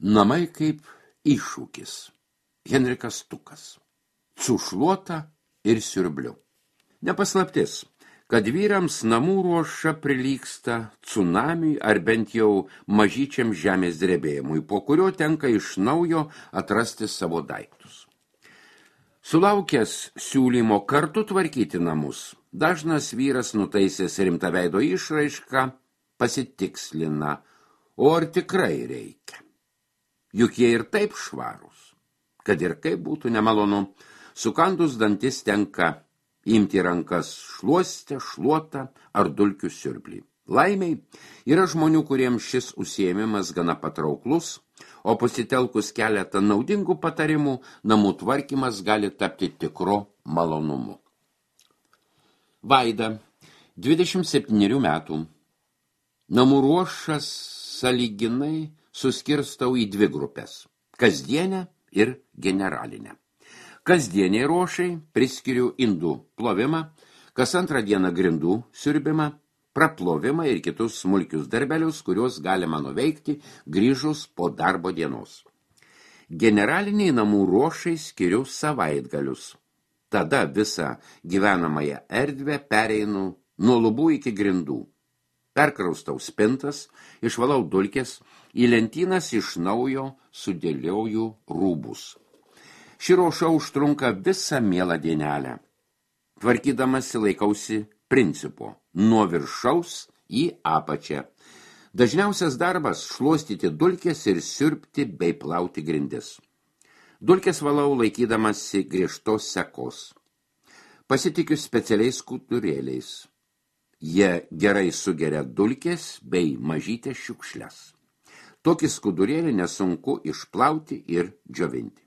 Namai kaip iššūkis. Henrikas Tukas. Su šluota ir siurbliu. Nepaslaptis, kad vyrams namų ruoša prilygsta tsunamiui ar bent jau mažyčiam žemės drebėjimui, po kurio tenka iš naujo atrasti savo daiktus. Sulaukęs siūlymo kartu tvarkyti namus, dažnas vyras nutaisęs rimtą veido išraišką pasitikslina, o ar tikrai reikia. Juk jie ir taip švarūs, kad ir kaip būtų nemalonu, sukandus dantis tenka imti rankas šluostę, šluotą ar dulkių siurblį. Laimiai yra žmonių, kuriems šis užsiėmimas gana patrauklus, o pasitelkus keletą naudingų patarimų, namų tvarkymas gali tapti tikru malonumu. Vaida, 27 metų. Namų ruošas sąlyginai suskirstau į 2 grupės – kasdienę ir generalinę. Kasdieniai ruošai priskiriu indų plovimą, kas antrą dieną grindų siurbimą, praplovimą ir kitus smulkius darbelius, kuriuos galima nuveikti grįžus po darbo dienos. Generaliniai namų ruošai skiriu savaitgalius. Tada visą gyvenamąją erdvę pereinu nuo lubų iki grindų. Perkraustau spintas, išvalau dulkes, į lentynas iš naujo sudėlioju rūbus. Ši ruoša užtrunka visą mielą dienelę. Tvarkydamasi laikausi principo nuo viršaus į apačią. Dažniausias darbas – šluostyti dulkes ir siurbti bei plauti grindis. Dulkes valau laikydamasi griežtos sekos. Pasitikiu specialiais skudurėliais. Jie gerai sugeria dulkes bei mažytės šiukšles. Tokį skudurėlį nesunku išplauti ir džiovinti.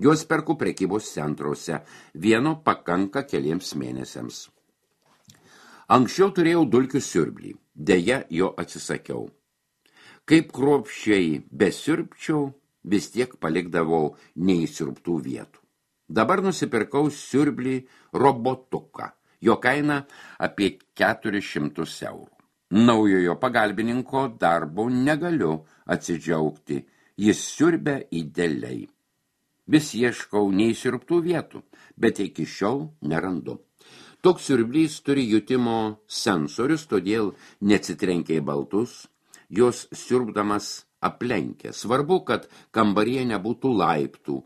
Juos perku prekybos centruose, vieno pakanka keliems mėnesiams. Anksčiau turėjau dulkių siurblį, deja jo atsisakiau. Kaip kruopščiai besiurbčiau, vis tiek palikdavau neįsiurbtų vietų. Dabar nusipirkau siurblį robotuką, jo kaina apie 400 eurų. Naujojo pagalbininko darbo negaliu atsidžiaugti, jis siurbia idealiai. Vis ieškau neįsiurbtų vietų, bet iki šiol nerandu. Toks siurblys turi jutimo sensorius, todėl neatsitrenkia į baltus, jos siurbdamas aplenkia. Svarbu, kad kambaryje nebūtų laiptų,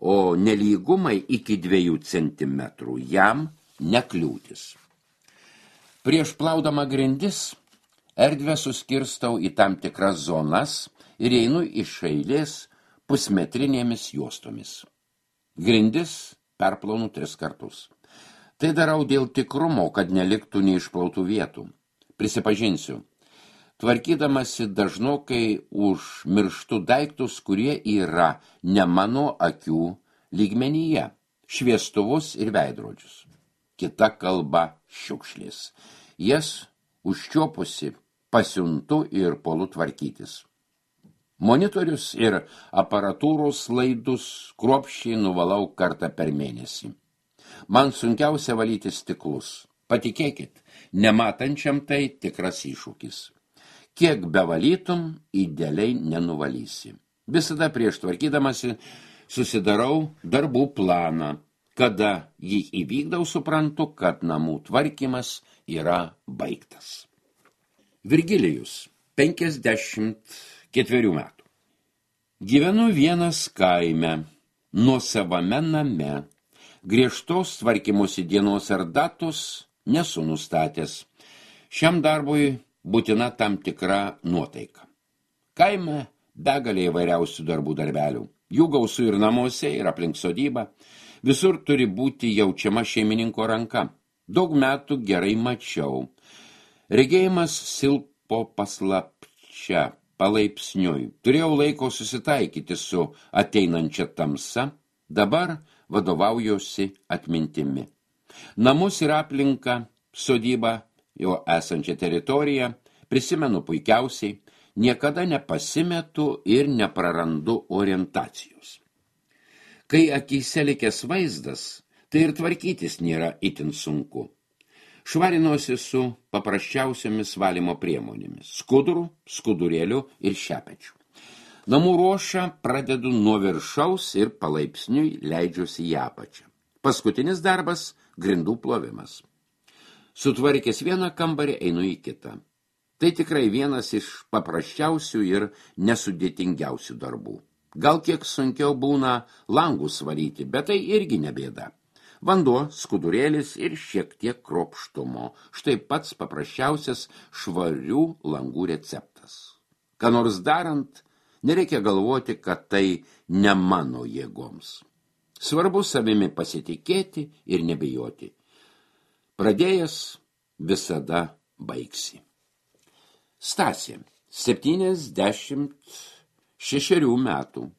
o nelygumai iki 2 centimetrų jam nekliūtis. Prieš plaudama grindis erdvę suskirstau į tam tikras zonas ir einu iš eilės pusmetrinėmis juostomis. Grindis perplaunu 3 kartus. Tai darau dėl tikrumo, kad neliktų neišplautų vietų. Prisipažinsiu, tvarkydamasi dažnokai užmirštu daiktus, kurie yra ne mano akių lygmenyje, šviestuvus ir veidrodžius. Kita kalba šiukšlės. Jas užčiopusi pasiuntu ir puolu tvarkytis. Monitorius ir aparatūros laidus kruopščiai nuvalau kartą per mėnesį. Man sunkiausia valyti stiklus. Patikėkit, nematančiam tai tikras iššūkis. Kiek bevalytum, idealiai nenuvalysi. Visada prieš tvarkydamasi susidarau darbų planą. Kada jį įvykdau, suprantu, kad namų tvarkymas yra baigtas. Virgilijus, 54 metų. Gyvenu vienas kaime, nuosavame name. Griežtos tvarkymosi dienos ar datos nesu nustatęs. Šiam darbui būtina tam tikra nuotaika. Kaime begalė įvairiausių darbų darbelių. Jų gausu ir namuose, ir aplink sodybą. Visur turi būti jaučiama šeimininko ranka. Daug metų gerai mačiau. Regėjimas silpo paslapčia, palaipsniui. Turėjau laiko susitaikyti su ateinančia tamsa, dabar vadovaujuosi atmintimi. Namus ir aplinką, sodybą, jo esančią teritoriją, prisimenu puikiausiai, niekada nepasimetu ir neprarandu orientacijos. Kai akyse likęs vaizdas, tai ir tvarkytis nėra itin sunku. Švarinuosi su paprasčiausiamis valymo priemonėmis – skuduru, skudurėliu ir šepečiu. Namų ruošą pradedu nuo viršaus ir palaipsniui leidžiuosi į apačią. Paskutinis darbas – grindų plovimas. Sutvarkęs vieną kambarį einu į kitą. Tai tikrai vienas iš paprasčiausių ir nesudėtingiausių darbų. Gal kiek sunkiau būna langus valyti, bet tai irgi nebėda. Vanduo, skudurėlis ir šiek tiek kruopštumo. Štai pats paprasčiausias švarių langų receptas. Ką nors darant, nereikia galvoti, kad tai ne mano jėgoms. Svarbu savimi pasitikėti ir nebijoti. Pradėjęs visada baigsi. Stasė, 76 metų.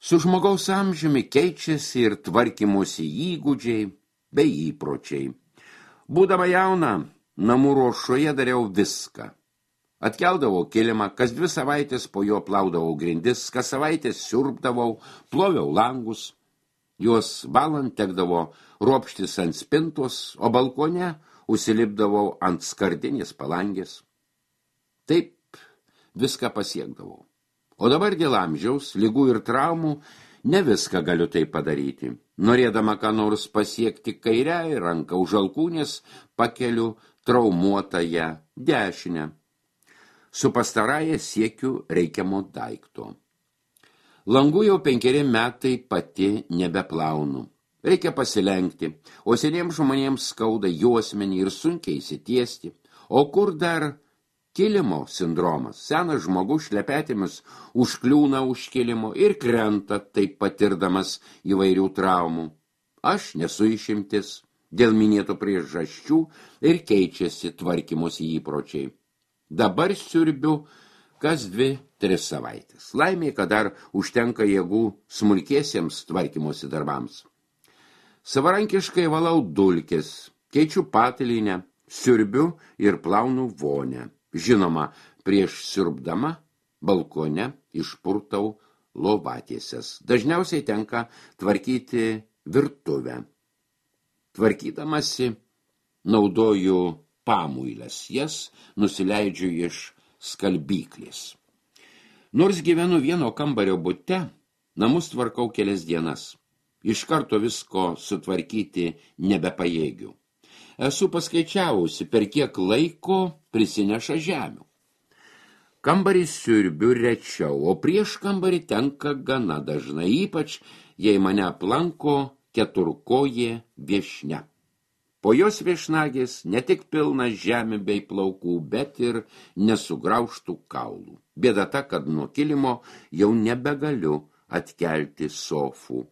Su žmogaus amžiumi keičiasi ir tvarkymosi įgūdžiai bei įpročiai. Būdama jauna, namų ruošoje dariau viską. Atkeldavau kilimą, kas 2 savaitės po jo plaudavau grindis, kas savaitės siurbdavau, ploviau langus. Juos valant tekdavo ropštis ant spintos, o balkone užsilipdavau ant skardinės palangės. Taip viską pasiekdavau. O dabar dėl amžiaus, ligų ir traumų ne viską galiu tai padaryti. Norėdama ką nors pasiekti kairiąją ranką už alkūnės, pakeliu traumuotąją dešinę. Su pastarąja siekiu reikiamo daikto. Langų jau 5 metai pati nebeplaunu. Reikia pasilenkti, o seniems žmonėms skauda juosmenį ir sunkiai įsitiesti. O kur dar kilimo sindromas? Senas žmogus šlepetėmis užkliūna už kilimo ir krenta, taip patirdamas įvairių traumų. Aš nesu išimtis, dėl minėtų priežasčių ir keičiasi tvarkymosi įpročiai. Dabar siurbiu kas 2-3 savaitės. Laimė, kad dar užtenka jėgų smulkiesiems tvarkymosi darbams. Savarankiškai valau dulkes, keičiu patalynę, siurbiu ir plaunu vonę. Žinoma, prieš siurbdama balkone išpurtau lovatiesės. Dažniausiai tenka tvarkyti virtuvę. Tvarkydamasi naudoju pamuiles, jas nusileidžiu iš skalbyklės. Nors gyvenu vieno kambario bute, namus tvarkau kelias dienas. Iš karto visko sutvarkyti nebepajėgiu. Esu paskaičiavusi, per kiek laiko prisineša žemių. Kambarį siurbiu rečiau, o prieš kambarį tenka gana dažnai, ypač jei mane aplanko keturkojė viešnia. Po jos viešnagės ne tik pilna žemė bei plaukų, bet ir nesugraužtų kaulų. Bėda ta, kad nuo kilimo jau nebegaliu atkelti sofų.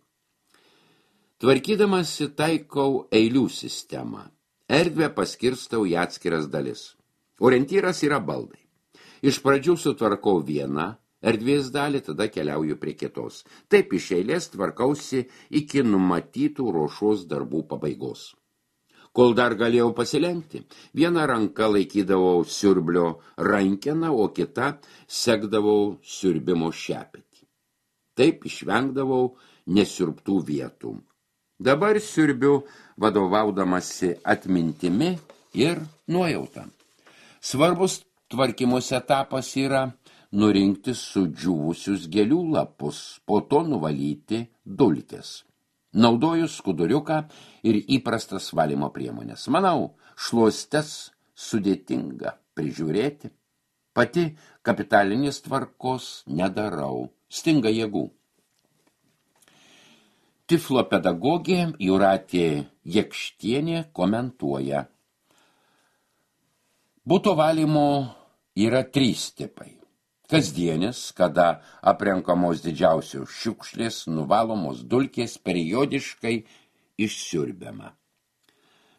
Tvarkydamasi taikau eilių sistemą. Erdvę paskirstau į atskiras dalis. Orientyras yra baldai. Iš pradžių sutvarkau vieną erdvės dalį, tada keliauju prie kitos. Taip iš eilės tvarkausi iki numatytų ruošos darbų pabaigos. Kol dar galėjau pasilenkti, vieną ranką laikydavau siurblio rankeną, o kitą sekdavau siurbimo šepetį. Taip išvengdavau nesiurbtų vietų. Dabar siurbiu vadovaudamasi atmintimi ir nuojauta. Svarbus tvarkymosi etapas yra nurinkti sudžiūvusius gėlių lapus, po to nuvalyti dulkes. Naudoju skuduriuką ir įprastas valymo priemonės. Manau, šluostes sudėtinga prižiūrėti. Pati kapitalinės tvarkos nedarau, stinga jėgų. Tiflo pedagogė Jūratė Jekštienė komentuoja. Buto valymo yra 3 tipai. Kasdienis, kada aprenkamos didžiausios šiukšlės, nuvalomos dulkės, periodiškai išsiurbiama.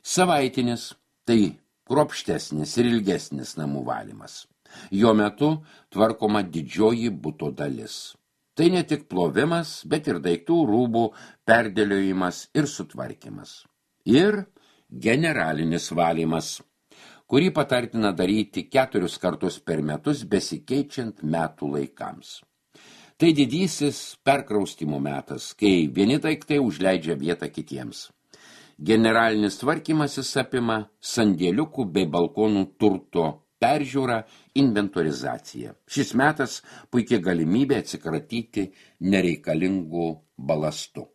Savaitinis, tai kruopštesnis ir ilgesnis namų valymas. Jo metu tvarkoma didžioji buto dalis. Tai ne tik plovimas, bet ir daiktų rūbų perdėliojimas ir sutvarkymas. Ir generalinis valymas, kurį patartina daryti 4 kartus per metus besikeičiant metų laikams. Tai didysis perkraustimo metas, kai vieni daiktai užleidžia vietą kitiems. Generalinis tvarkymasis apima sandėliukų bei balkonų turto peržiūra, inventorizacija. Šis metas puikia galimybė atsikratyti nereikalingų balastų.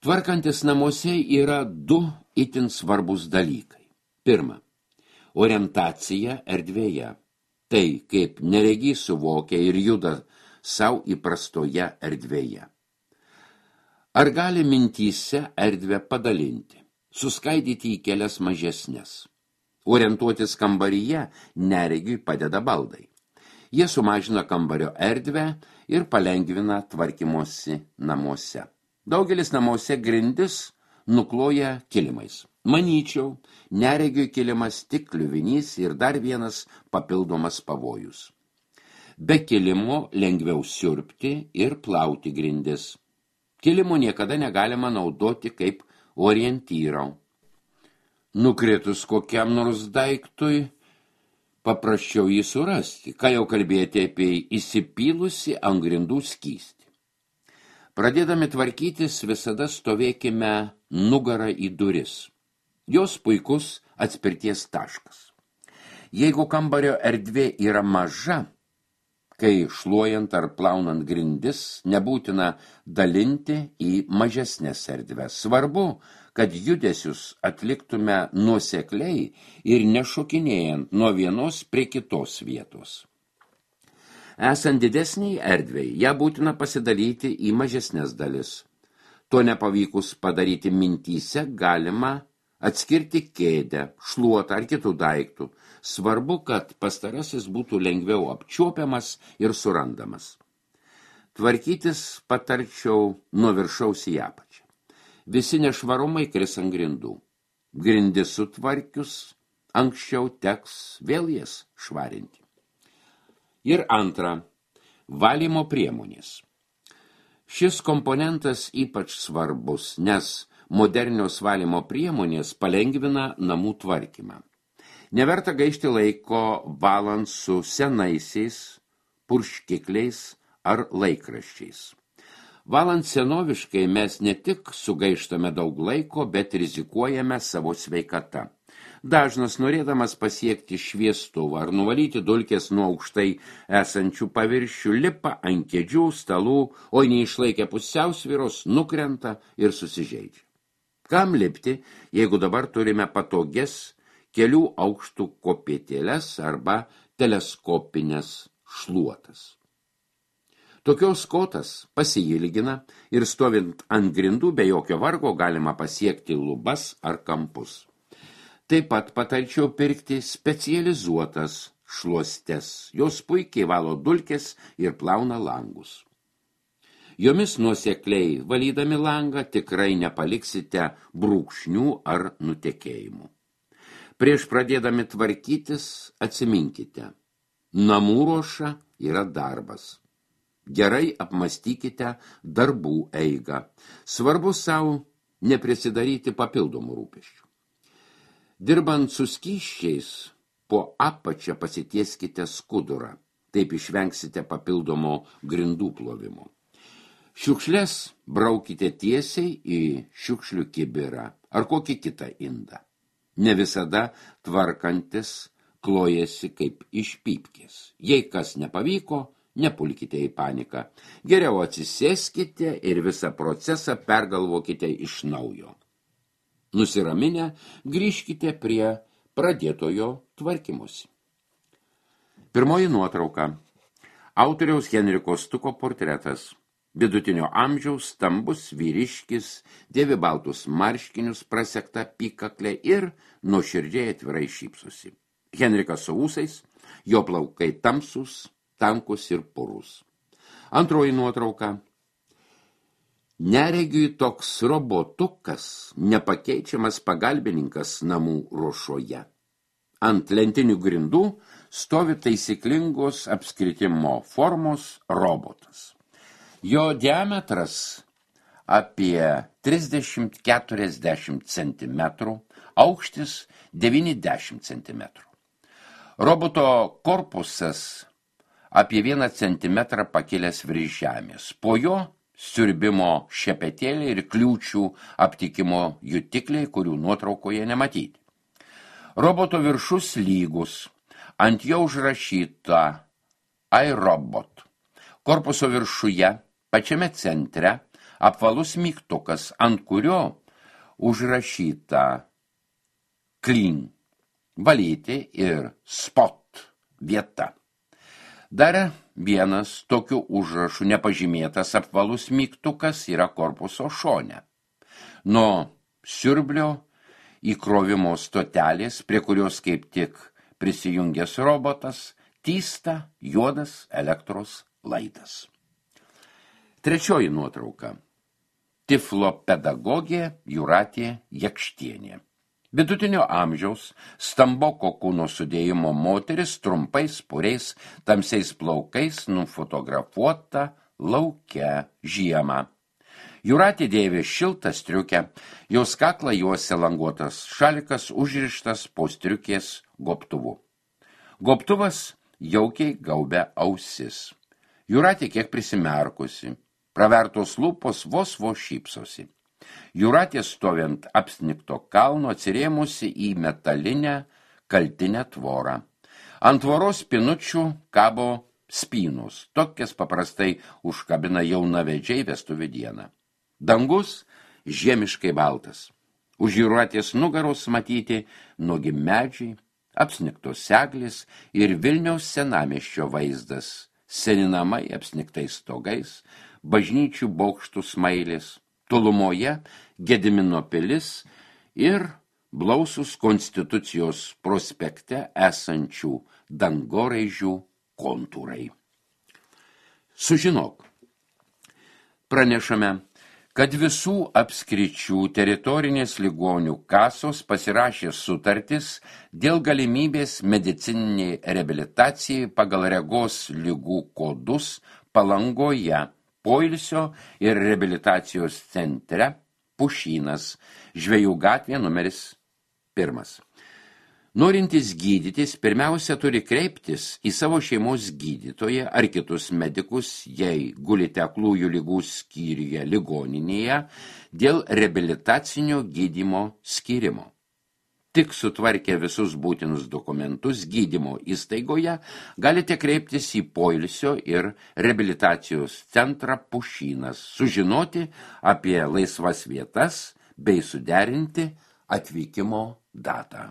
Tvarkantis namuose yra du itin svarbus dalykai. Pirma, orientacija erdvėje. Tai, kaip neregys suvokia ir juda savo įprastoje erdvėje. Ar gali mintyse erdvę padalinti, suskaidyti į kelias mažesnes? Orientuotis kambaryje neregiui padeda baldai. Jie sumažina kambario erdvę ir palengvina tvarkymosi namuose. Daugelis namuose grindis nukloja kilimais. Manyčiau, neregiui kilimas tik kliuvinys ir dar vienas papildomas pavojus. Be kilimo lengviau siurbti ir plauti grindis. Kilimo niekada negalima naudoti kaip orientyro. Nukritus kokiam nors daiktui, paprasčiau jį surasti, ką jau kalbėti apie įsipylusi ant grindų skystį. Pradėdami tvarkytis, visada stovėkime nugarą į duris. Jos puikus atspirties taškas. Jeigu kambario erdvė yra maža, kai šluojant ar plaunant grindis, nebūtina dalinti į mažesnės erdves. Svarbu, kad judesius atliktume nuosekliai ir nešokinėjant nuo vienos prie kitos vietos. Esant didesniai erdvei, ją būtina pasidalyti į mažesnės dalis. To nepavykus padaryti mintyse galima atskirti kėdę, šluotą ar kitų daiktų. Svarbu, kad pastarasis būtų lengviau apčiuopiamas ir surandamas. Tvarkytis patarčiau nuo viršaus į apačią. Visi nešvarumai kris ant grindų. Grindis sutvarkius, anksčiau teks vėl jas švarinti. Ir antra, valymo priemonės. Šis komponentas ypač svarbus, nes modernios valymo priemonės palengvina namų tvarkymą. Neverta gaišti laiko valant su senaisiais, purškikliais ar laikraščiais. Valant senoviškai mes ne tik sugaištame daug laiko, bet rizikuojame savo sveikata. Dažnas, norėdamas pasiekti šviestuvą ar nuvalyti dulkes nuo aukštai esančių paviršių, lipa ant kėdžių, stalų, o neišlaikę pusiausvyros, nukrenta ir susižeidžia. Kam lipti, jeigu dabar turime patogias kelių aukštų kopėtėles arba teleskopinės šluotas. Tokios kotas pasiilgina ir stovint ant grindų be jokio vargo galima pasiekti lubas ar kampus. Taip pat patarčiau pirkti specializuotas šluostes. Jos puikiai valo dulkes ir plauna langus. Jomis nuosekliai valydami langą tikrai nepaliksite brūkšnių ar nutekėjimų. Prieš pradėdami tvarkytis atsiminkite, namų ruoša yra darbas. Gerai apmastykite darbų eigą. Svarbu savo neprisidaryti papildomų rūpesčių. Dirbant su skysčiais, po apačią pasitieskite skudurą. Taip išvengsite papildomo grindų plovimo. Šiukšles braukite tiesiai į šiukšlių kibirą ar kokį kitą indą. Ne visada tvarkantis klojasi kaip iš pypkės. Jei kas nepavyko, nepulkite į paniką. Geriau atsisėskite ir visą procesą pergalvokite iš naujo. Nusiraminę, grįžkite prie pradėtojo tvarkymosi. Pirmoji nuotrauka. Autoriaus Henriko Stuko portretas. Vidutinio amžiaus, stambus vyriškis, dėvi baltus marškinius, prasekta apykaklė ir nuoširdžiai atvirai šypsosi. Henrikas su ūsais, jo plaukai tamsus, tankus ir purus. Antroji nuotrauka. Neregiui toks robotukas, nepakeičiamas pagalbininkas namų ruošoje. Ant lentinių grindų stovi taisyklingos apskritimo formos robotas. Jo diametras apie 30–40 cm, aukštis 90 cm. Roboto korpusas apie 1 cm pakilęs virš žemės. Po jo siurbimo šepetėliai ir kliūčių aptikimo jutikliai, kurių nuotraukoje nematyti. Roboto viršus lygus, ant jo užrašyta iRobot. Korpuso viršuje, pačiame centre, apvalus mygtukas, ant kurio užrašyta clean, valyti ir spot vieta. Dar vienas tokiu užrašu nepažymėtas apvalus mygtukas yra korpuso šone. Nuo siurblio įkrovimo stotelės, prie kurios kaip tik prisijungęs robotas, tysta juodas elektros laidas. Trečioji nuotrauka. Tiflopedagogė Jūratė Jakštienė. Vidutinio amžiaus, stamboko kūno sudėjimo moteris trumpais puriais, tamsiais plaukais nufotografuota lauke žiemą. Jūratė dėvi šiltą striukę, jos kaklą juosia languotas šalikas užrištas po striukės gobtuvu. Gobtuvas jaukiai gaubia ausis. Jūratė kiek prisimerkusi, pravertos lūpos vos šypsosi. Jūratė stovint apsnigto kalno atsirėmusi į metalinę kaltinę tvorą. Ant tvoros spinučių kabo spynus, tokias paprastai užkabina jaunavedžiai vestuvių dieną. Dangus žiemiškai baltas. Už Jūratės nugaros matyti nuogi medžiai, apsnigtos eglės ir Vilniaus senamiesčio vaizdas, seni namai apsnigtais stogais, bažnyčių bokštų smailės, tolumoje Gedimino pilis ir blausus Konstitucijos prospekte esančių dangoraižių kontūrai. Sužinok. Pranešame, kad visų apskričių teritorinės ligonių kasos pasirašė sutartis dėl galimybės medicininiai reabilitacijai pagal regos ligų kodus Palangoje, poilsio ir reabilitacijos centre Pušynas, Žvejų gatvė numeris 1. Norintys gydytis pirmiausia turi kreiptis į savo šeimos gydytoją ar kitus medikus, jei gulite aklųjų ligų skyriuje ligoninėje, dėl reabilitacinio gydymo skyrimo. Tik sutvarkę visus būtinus dokumentus gydymo įstaigoje galite kreiptis į poilsio ir reabilitacijos centrą Pušynas, sužinoti apie laisvas vietas bei suderinti atvykimo datą.